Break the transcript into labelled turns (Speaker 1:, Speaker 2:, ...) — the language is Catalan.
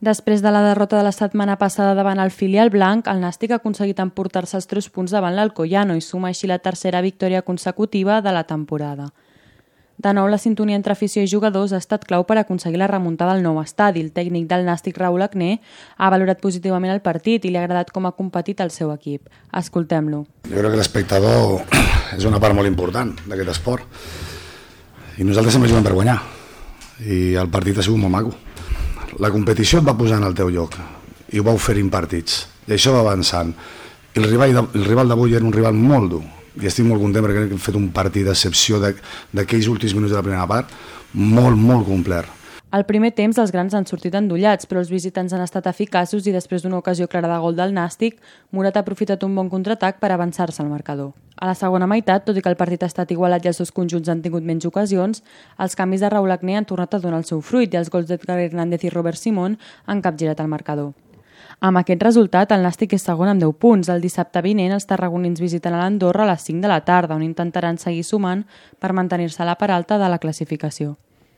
Speaker 1: Després de la derrota de la setmana passada davant el filial blanc, el Nàstic ha aconseguit emportar-se els 3 punts davant l'Alcoyano i suma així la tercera victòria consecutiva de la temporada. De nou, la sintonia entre afició i jugadors ha estat clau per aconseguir la remuntada al nou estadi. El tècnic del Nàstic, Raúl Agné, ha valorat positivament el partit i li ha agradat com ha competit el seu equip. Escoltem-lo.
Speaker 2: Jo crec que l'espectador és una part molt important d'aquest esport i nosaltres sempre juguem per guanyar i el partit ha sigut molt maco. La competició et va posar en el teu lloc i ho va oferint partits i això va avançant. I el rival d'avui era un rival molt dur i estic molt content perquè hem fet un partit d'excepció d'aquells últims minuts de la primera part molt complet.
Speaker 1: Al primer temps els grans han sortit endollats, però els visitants han estat eficaços i després d'una ocasió clara de gol del Nàstic, Murat ha aprofitat un bon contraatac per avançar-se al marcador. A la segona meitat, tot i que el partit ha estat igualat i els dos conjunts han tingut menys ocasions, els canvis de Raúl Agné han tornat a donar el seu fruit i els gols d'Edgar Hernández i Robert Simón han capgirat el marcador. Amb aquest resultat, el Nàstic és segon amb 10 punts. El dissabte vinent, els tarragonins visiten a l'Andorra a les 5 de la tarda, on intentaran seguir sumant per mantenir-se a la part alta de la classificació.